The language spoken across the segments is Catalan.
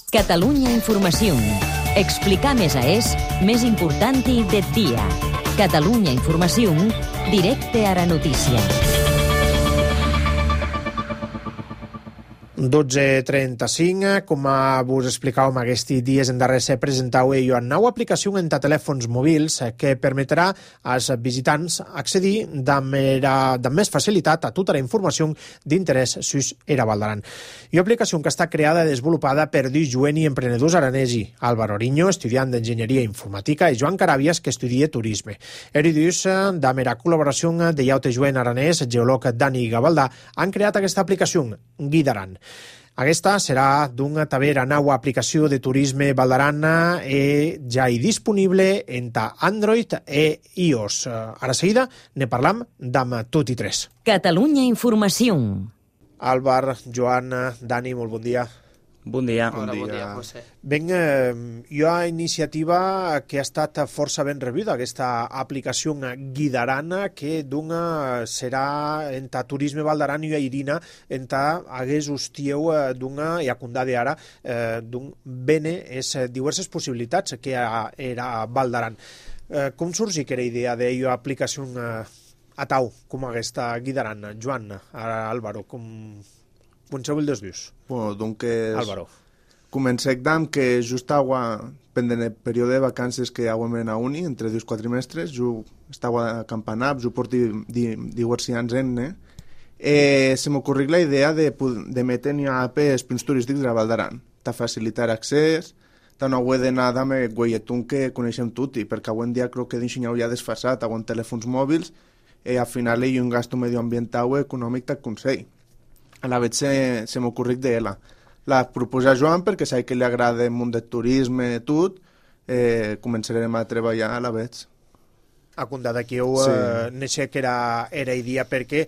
Catalunya Informació. Explicar més més important del dia. Catalunya Informació, directe a la notícia. 12:35, com vos explicàvem aquests dies en darrere se presentau una nova aplicació en telèfons mòbils que permetrà als visitants accedir amb més facilitat a tota la informació d'interès sus era Val d'Aran. Una aplicació que està creada i desenvolupada per dos joves emprenedors aranesi, Álvaro Oriño, estudiant d'Enginyeria Informàtica, i Joan Carabias, que estudia Turisme. Eri dos, amb la col·laboració de llaute joven aranès, geòleg Dani Gavaldà, han creat aquesta aplicació, Guida Aran. Aquesta serà d'una tavera nova aplicació de turisme Val d'Aran ja disponible entre Android i iOS. Ara seguida ne parlam amb tot i tres. Catalunya Informació. Álvar, Joan, Dani, molt bon dia. Bon dia. Hola, bon dia, José. Ben, hi ha iniciativa que ha estat força ben rebuda, aquesta aplicació Guida Aran, que serà entre Turisme Val d'Aran i Irina, entre hagués hostieu d'una, i a condade ara, d'un bene diverses possibilitats que era Val d'Aran. Com surgi que era idea d'una aplicació a tau, com aquesta Guida Aran? Joan, Álvaro, com el dos dius? Bueno, doncs Álvaro. Comencem amb que just pendent el període de vacances que hem a uni, entre 2 quatrimestres, jo estava a Campanap, jo porto diversos anys se m'ocorri la idea de metre una app als punts turístics de la Val d'Aran, de facilitar accés, de no haver d'anar amb el guaietun que coneixem tutti, perquè avui en dia crec que d'ensenyar ja desfasat, amb telèfons mòbils, al final hi ha un gasto medioambiental o econòmic del Consell. A la vegada se m'ocorri d'ella. La proposa Joan perquè sé que li agrada el món del turisme i tot, començarem a treballar a la vegada. A compte d'aquí néixer que era idea perquè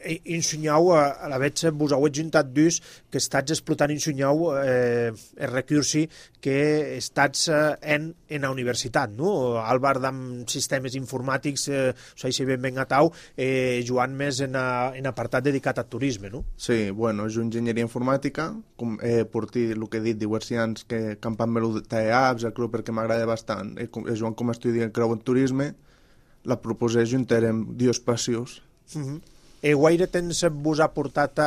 ensenyau, a la vegada vos heu juntat dos que estats explotant ensenyau el recursi que estats en la universitat, no? Álvar amb sistemes informàtics, si ben a tau, Joan més en apartat dedicat al turisme, no? Sí, bueno, jo enginyeria informàtica, porti el que he dit, diversos anys que campant-me d'apps, el creu perquè m'agrada bastant. Joan com a estudiant creu en turisme, la proposé juntarem dues passions. Guaire temps vos ha portat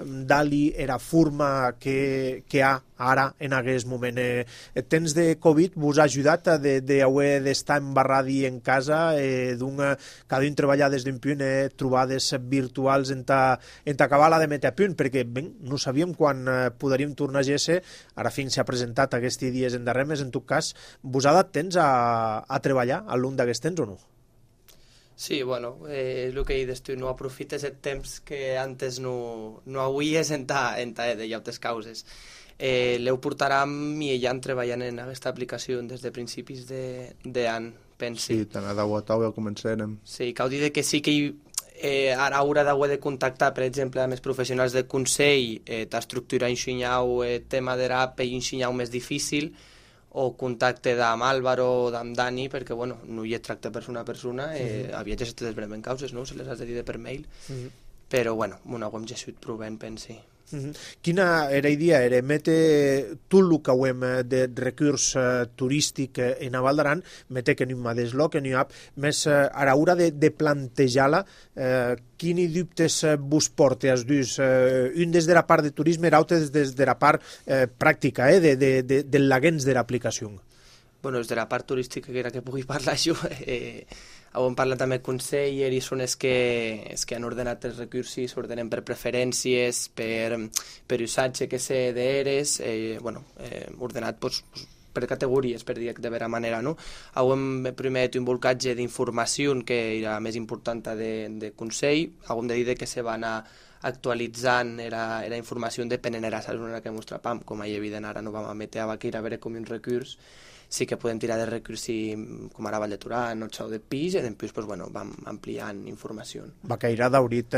Dali era forma que hi ha ara en aquest moment? El temps de Covid vos ha ajudat d'haver d'estar embarradi en casa, cada un treballar des d'un punt, trobades virtuals en acabar la de metre a punt, perquè no sabíem quan podríem tornar a GS, ara fins s'ha presentat aquests dies en darrere, més en tot cas, vos ha dat temps a treballar al llarg d'aquests temps o no? Sí, bueno, el que he dit tu, no aprofites el temps que antes no hauries en de llautes causes. L'heu portarà amb i ella treballant en aquesta aplicació des de principis d'any, pensi. Sí, tant a Dauatau ja començarem. Sí, cal dir que sí que ara haurà d'haver de contactar, per exemple, amb els professionals del Consell, t'estructurar i ensenyar el tema de l'app i ensenyar més difícil, o contacte amb Álvaro o amb Dani, perquè bueno, no hi ha tracte persona a persona, aviat ja se te desbreben causes, no? Se les has de dir per mail, però bueno, ho hem gessut provant, pensi. Quina era idea? Era metre tot el que hem de recurs turístic en Val d'Aran, metre que no hi ha deslog, que no hi ha, més a l'hora de plantejar-la, quins dubtes vos porta els dos? Un des de la part de turisme i l'altre des de la part pràctica, de l'agents de l'aplicació. Bueno, des de la part turística, que era que pugui parlar jo, hem parlat amb el Consell i són els que han ordenat els recursos, ordenen per preferències, per usatge que sé d'eres, ordenat per categories, per dir de vera manera, no? Hem primer un volcatge d'informació que era més important de Consell, hem de dir que se va anar actualitzant era informació depenent de la zona que ens trapam, com és evident ara no vam emetre a Baqueira a veure com un recurs, sí que podem tirar de recursi com ara Vall de Turán o Xau de Pis, i després pues, bueno, vam ampliant informació. Va caire d'haurit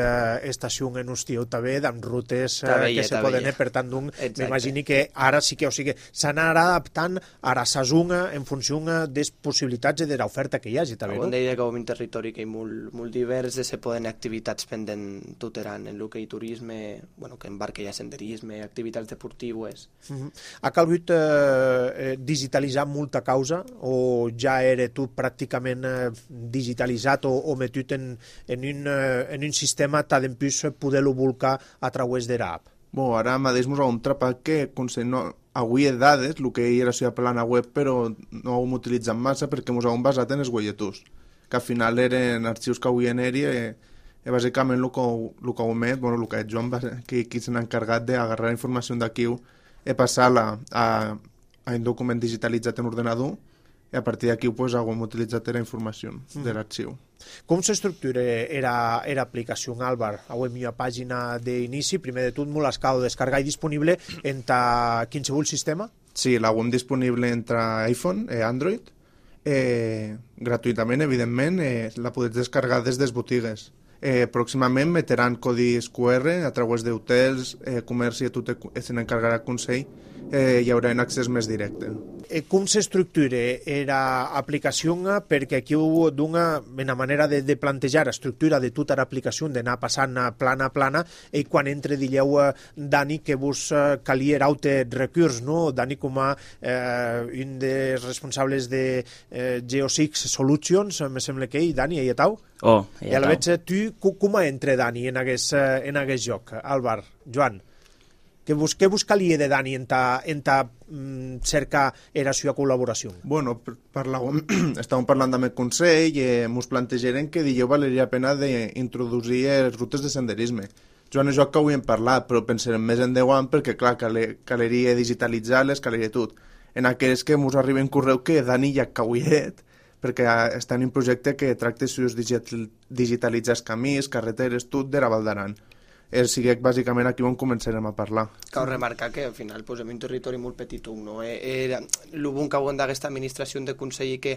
estació en Ustiu també, amb rutes que se poden, per tant, m'imagini que ara sí que, o sigui, s'anarà adaptant a la sazunga en funció de les possibilitats i de l'oferta que hi hagi, també, no? Com deia que un territori que hi molt divers, se poden activitats pendent tuteran en el que hi turisme, bueno, que embarca ja senderisme, activitats deportives. Ha calgut digitalitzar molta causa o ja era tot pràcticament digitalitzat o metut en un sistema tant plus poder-lo volcar a través de l'app? Bueno, ara mateix ens hem atrapat que avui he dades, el que era la plana web, però no ho hem utilitzat massa perquè ens hem basat en els guaietús, que al final eren arxius que avui en eri bàsicament el que ho met, bueno, el que Joan, qui se n'ha encarregat d'agarrar la informació d'aquí i passar-la a un document digitalitzat en ordenador, i a partir d'aquí pues, hem utilitzat la informació de l'arxiu. Com s'estructura era aplicació, Álvar? Avui hi ha pàgina d'inici, primer de tot molt escau descarregar i disponible entre qualsevol sistema? Sí, l'hem disponible entre iPhone i Android, gratuïtament, evidentment, la podeu descarregar des de les botigues. Pròximament metran codis QR a través d'hotels, comerç i tot se n'encarregarà el Consell, hi haurà un accés més directe. Com s'estructura l'aplicació? Perquè aquí dona una manera de plantejar l'estructura de tota l'aplicació, d'anar passant plana a plana, i quan entre dieu, Dani, que vos calia raute recurs, no? Dani, com a un dels responsables de Geosix Solutions, me sembla que Dani, hi ha tau? I a la veig, tu com entra Dani en aquest joc? Álvar, Joan? Què vos calia de Dani en cercar la seva col·laboració? Bueno, estàvem parlant amb el Consell i ens plantejaren que dijous valeria la pena d'introduir les rutes de senderisme. Joan i jo que avui hem parlat, però pensarem més en 10 anys perquè, clar, caleria digitalitzar-les, caleria tot. En aquells que ens arriba en correu que Dani ja cauiet, perquè està en un projecte que tracta de digitalitzar els camins, carreteres, tot de la Val d'Aran. Sigui bàsicament aquí on començarem a parlar. Cal remarcar que al final posem un territori molt petit, no? El bon que hem d'aquesta administració de Consell que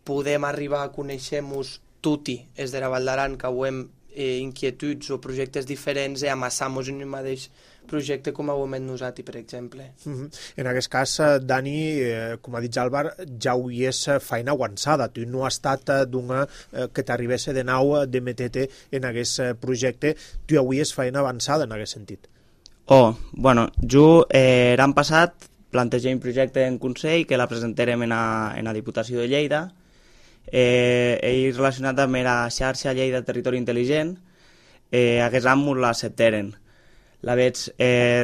podem arribar a conèixer-nos tutti és de la Val d'Aran, que hem inquietuds o projectes diferents i amassar-nos en un mateix projecte com ho hem nosaltres, per exemple. En aquest cas, Dani, com ha dit Álvar, ja ho és feina avançada. Tu no has estat que t'arribés de nou de metete en aquest projecte. Tu avui és feina avançada en aquest sentit. Bueno, jo l'any passat plantegé un projecte en Consell que la presentarem en la Diputació de Lleida. Ell relacionat amb la xarxa Lleida Territori Intel·ligent. Aquest any ens l'acceptaren. La veig,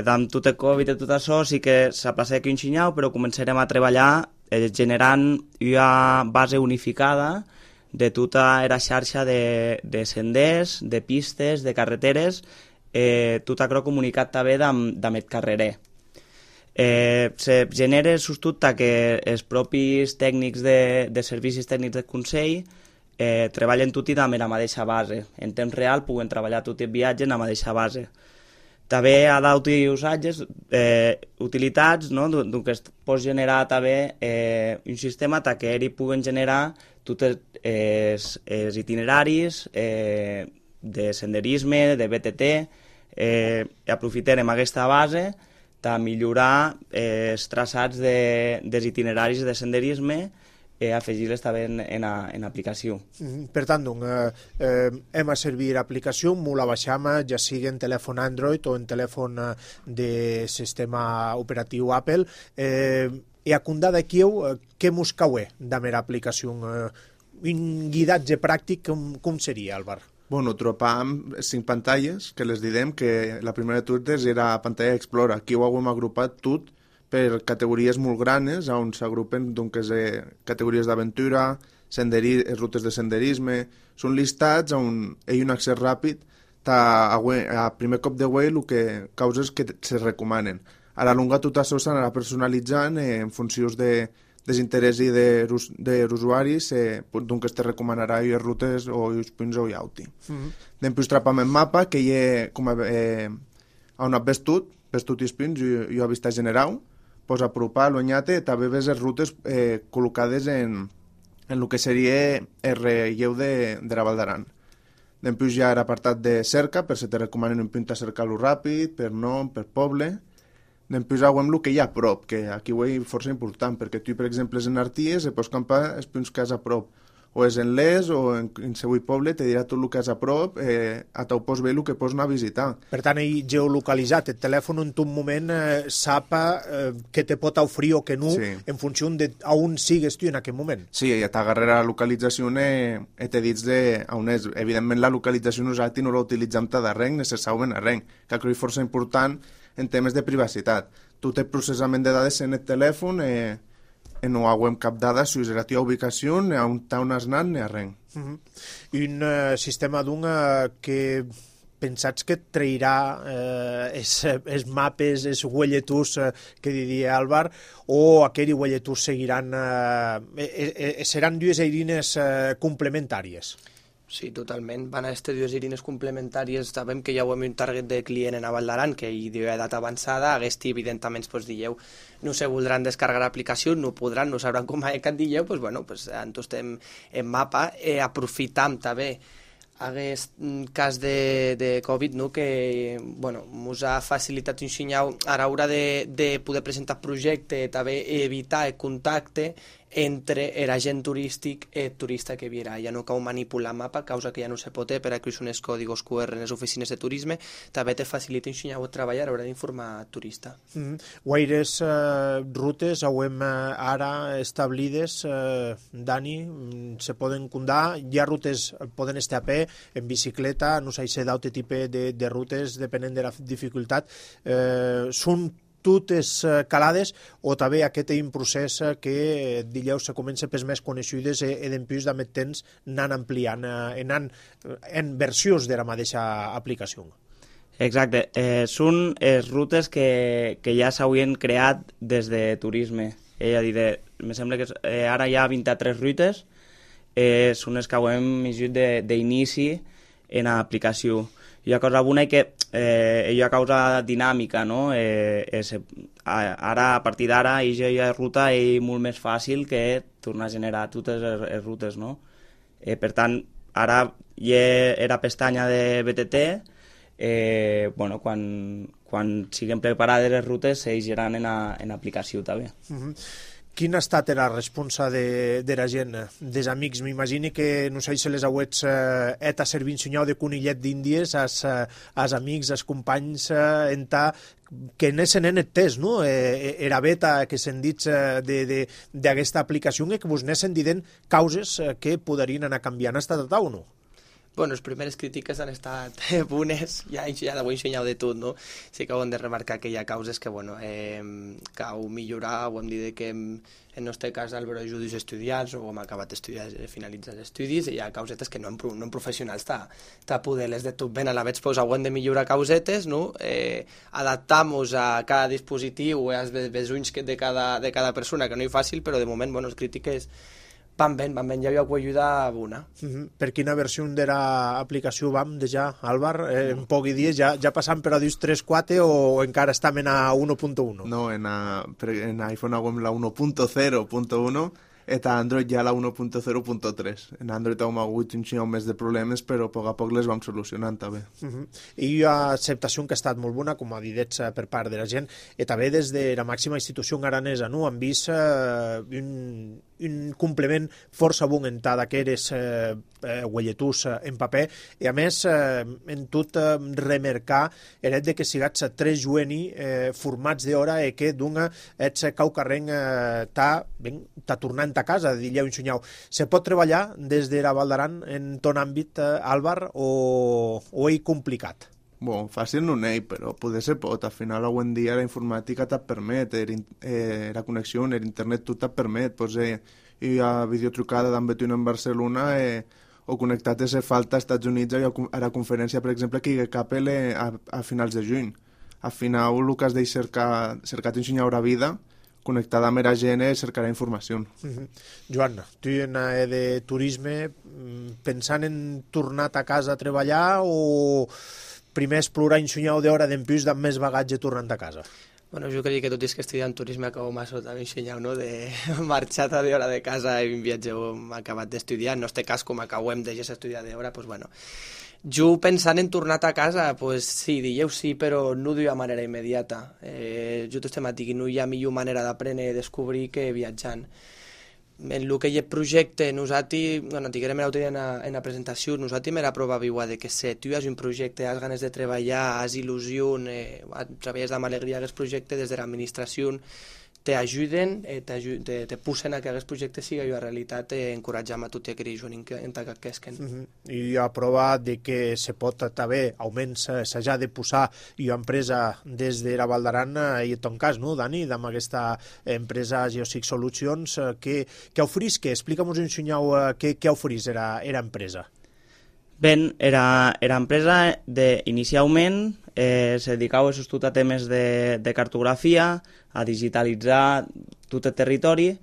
amb tot el Covid i tot això, sí que s'ha passat aquí un xinyau, però començarem a treballar generant una base unificada de tota la xarxa de senders, de pistes, de carreteres, tot això comunicat també amb el carrerer. Se genera sostut que els propis tècnics de servicis tècnics del Consell treballen tots amb la mateixa base. En temps real puguen treballar tot el viatge en la mateixa base. També ha d'utilitzar utilitats, no? Que es pot generar també un sistema que ells puguen generar tots els itineraris de senderisme, de BTT, aprofitarem aquesta base per millorar els traçats dels itineraris de senderisme afegir-les també en l'aplicació. Per tant, hem a servir l'aplicació, molt la baixam, ja sigui en telèfon Android o en telèfon de sistema operatiu Apple. I a condar d'aquí, què mos caué amb l'aplicació? Un guidatge pràctic, com seria, Álvar? Bueno, trobam 5 pantalles, que les direm, que la primera de totes era pantalla Explorer. Aquí ho hem agrupat tot per categories molt grans, on s'agrupen categories d'aventura, rutes de senderisme. Són listats on hi ha un accés ràpid a primer cop de web el que causes que se recomanen. A la longa tot això s'anarà personalitzant en funció dels interessos dels usuaris, doncs es te recomanarà les rutes o els punts o l'auti. Després trapam el mapa, que hi ha on has vist tot i els punts, jo he vist general, pues, apropar l'Onyate, també ves les rutes col·locades en el que seria el relleu de la Val d'Aran. Després ja era apartat de cerca, per si te recomanen un punt a cercar-lo ràpid, per nom, per poble. Després veiem el que hi ha a prop, que aquí ho és força important, perquè tu, per exemple, en Arties, pots campar els punts que has a prop. O és en l'Es o en qualsevol poble, te dirà tot el que has a prop, a tau pots veure el que pots anar a visitar. Per tant, ell geolocalitzat, el telèfon en tot moment sap que te pot oferir o que no, sí, en funció d'on sigues tu en aquest moment. Sí, ja t'agarra la localització i te dits on és. Evidentment, la localització nosaltres no la utilitzem d'arrenc, necessàriament arrenc, que crec que és força important en temes de privacitat. Tu tens processament de dades en el telèfon, no haguem cap dada sobre la teva ubicació, ni on has anat, ni a res. Un sistema que pensats que trairà els mapes, els huelletús que diria Álvar, o aquells huelletús seguiran... seran dues eines complementàries? Sí, totalment. Van a aquestes dues eines complementàries. Sabem que ja ho hem un target de client en Val d'Aran, que hi diu edat avançada. Aquest, evidentment, dieu, no se voldran descarregar l'aplicació, no podran, no sabran com que et dieu, en estem en mapa. Aprofitam també aquest cas de Covid, no, que ens ha facilitat un senyal a l'hora de poder presentar projecte, també evitar el contacte entre l'agent turístic i el turista que viurà. Ja no cal manipular el mapa, causa que ja no se pot, per a que són els còdigos QR en les oficines de turisme, també te facilita un senyal de treballar a l'hora d'informar el turista. Guaires rutes hauem ara establides, Dani, se poden condar, hi ha rutes, poden estar a peu, en bicicleta, no sé si d'altre tipus de rutes, depenent de la dificultat, són totes calades o també aquest és un procés que dileu se comença pels més coneixudes i d'empús de més temps anant ampliant, anant en versions de la mateixa aplicació. Exacte, són rutes que ja s'haurien creat des de turisme. Me sembla que ara hi ha 23 rutes, són les que haurem llegit d'inici en l'aplicació. Hi ha cosa bona que hi ha causa dinàmica, no? Ara, a partir d'ara, la ruta és molt més fàcil que tornar a generar totes les rutes, no? Per tant, ara hi ha la pestanya de BTT, quan siguin preparades les rutes, s'eixiran en l'aplicació també. Quina ha estat la responsa de la gent, dels amics? M'imagino que, no sé si les auets a servir un senyal de conillet d'Índies als amics, als companys, que n'esen en el test, no? Era beta que se'n dit d'aquesta aplicació que vos n'esen dient causes que podrien anar canviant. Ha estat a o no? Les primeres crítiques han estat bones, ja ho he ensenyat de tot, no? Sí que ho hem de remarcar que hi ha causes que, cal millorar, ho hem dit que en el nostre cas Álvaro ajuda els estudiants o hem acabat d'estudiar, finalitzar els estudis, i hi ha causetes que no en professionals està poder-les de tot ben a la vegada, ho hem de millorar causetes, no? Adaptar-nos a cada dispositiu, als besunys de cada persona, que no és fàcil, però de moment, les crítiques van ben, ja hi ha ajuda bona. Per quina versió de l'aplicació vam ja, Álvar? En pocs dies ja passam per a 3.4 o encara estem a 1.1? No, en iPhone haguem la 1.0.1 i a Android ja la 1.0.3. En Android hem hagut un xiu més de problemes, però a poc les vam solucionant també. I hi ha acceptació que ha estat molt bona, com ha dit per part de la gent, i també des de la màxima institució aranesa, no? Han vist un complement força bon en d'aquests huelletús en paper, i a més en tot remarcar el fet que sigats 3 jueni formats d'hora i que d'una ets caucarrenc t'ha tornant a casa, diria un senyal. Se pot treballar des de la Val d'Aran en ton àmbit, Álvar, o és complicat? Fàcil no n'hi, però poder se pot. Al final, avui en dia, la informàtica te't permet, la connexió, l'internet, tot te't permet. Hi ha videotrucada d'en Betuino en Barcelona o connectat a ser falta als Estats Units a la conferència, per exemple, que hi ha cap a finals de juny. Al final, el que has de cercar t'ensenyar la vida, connectada amb la gent, cercarà informació. Joan, tu en de turisme, pensant en tornar a casa a treballar o primer explorar un senyal d'hora d'empús amb més bagatge tornant a casa? Bueno, jo crec que tot i que estudiant turisme acabo massa també ensenyau, no?, de marxar a d'hora de casa i viatgeu acabat d'estudiar, no este cas com acabem de estudiar d'hora, doncs bueno. Jo pensant en tornar a casa, pues sí, dieu sí, però no de manera immediata. Jo estem a dir que no hi ha millor manera d'aprendre i descobrir que viatjant. En el que hi ha projecte, nosaltres, bueno, diguem l'altre dia en la presentació, nosaltres m'era prova viua de que si tu has un projecte, has ganes de treballar, has il·lusió, treballes amb alegria aquest projecte des de l'administració, t'ajuden, te pusen a que aquest projecte sigui una realitat, encoratjam a tots aquells joves que quesquen. I hi ha prova de que se pot també, almenys s'ha de posar una empresa des de la Val d'Aran, i en ton cas, no, Dani, amb aquesta empresa Geosic Solutions, que oferís, que explica'm-nos un xunyau què oferís era empresa. Ben, era empresa inicialment se dedicava a temes de cartografia, a digitalitzar tot el territori.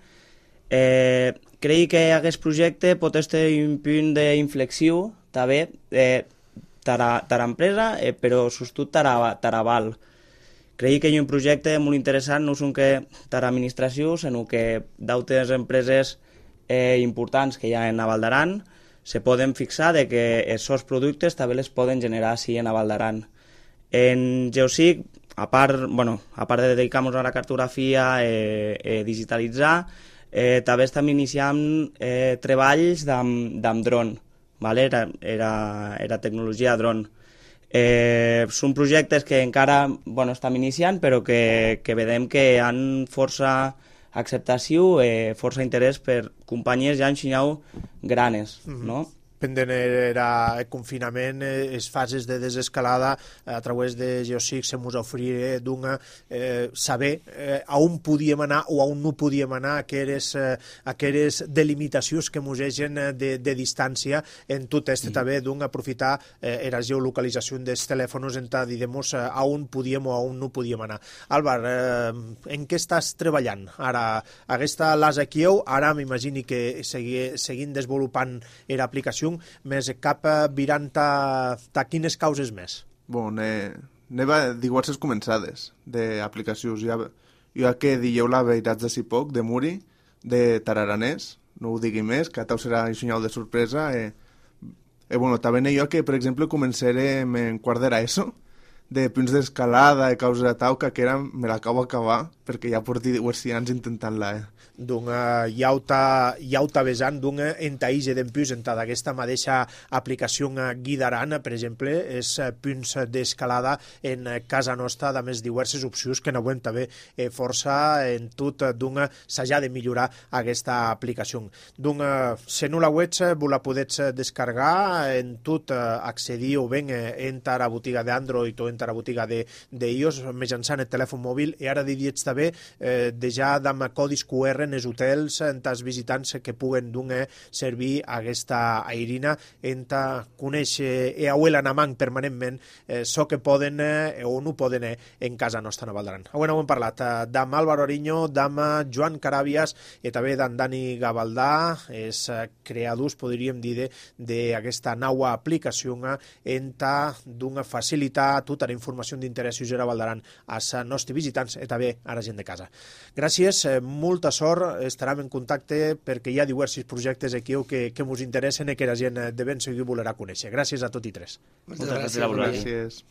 Crec que aquest projecte pot ser un punt d'inflexió també per a l'empresa, però sobretot per a Val. Crec que hi ha un projecte molt interessant, no són que per a l'administració, sinó que d'altres empreses importants que hi ha en la Val d'Aran se poden fixar de que aquests productes també les poden generar així en la Val d'Aran. En Geosic, a part de dedicar-nos a la cartografia i digitalitzar, també estem iniciant treballs amb dron, era tecnologia dron. Són projectes que encara estem iniciant, però que vedem que han força acceptació i força interès per companyies ja ensenyau granes, no? Pendent era el confinament, les fases de desescalada a través de Geosic se mos oferia saber a on podíem anar o a on no podíem anar, aquelles delimitacions que mos egen de distància en tot este també aprofitar la geolocalització dels telèfons en dir-nos a on podíem o a on no podíem anar. Álvar, en què estàs treballant? Ara, aquesta l'has aquí, ara m'imagini que seguint desenvolupant l'aplicació, més cap virant a quines causes més? Anava a dir diverses començades d'aplicacions. Jo que dieu la veritat de si poc, de Muri, de Tararanès, no ho digui més, que tau serà un senyal de sorpresa. També jo que, per exemple, començarem en quart d'ESO, de punts d'escalada, de causa de tauca, que me l'acabo d'acabar, perquè ja porti diversos anys intentant-la. Iauta vessant entaïge d'empús d'aquesta mateixa aplicació guidaran, per exemple, els punts d'escalada en casa nostra, de més diverses opcions que n'avem també força en tot s'ha de millorar aquesta aplicació. Si no la web, vos la podeu descarregar en tot, accedir o ben entre la botiga d'Android o entre la botiga d'iOS mitjançant el telèfon mòbil, i ara diries també de ja amb codis QR en els hotels, en els visitants que puguen servir aquesta airina en conèixer i auela en amant permanentment so que poden o no poden en casa nostra a Val d'Aran. Avui hem parlat d'en Álvaro Ariño, d'en Joan Carabias i també d'en Dani Gavaldà, els creadors, podríem dir, d'aquesta nova aplicació en facilitar tota la informació d'interès a Val d'Aran als nostres visitants i també a la gent de casa. Gràcies, molta sort, estarem en contacte perquè hi ha diversos projectes aquí que ens interessen i que la gent de ben seguir volerà conèixer. Gràcies a tots i tres. Moltes gràcies.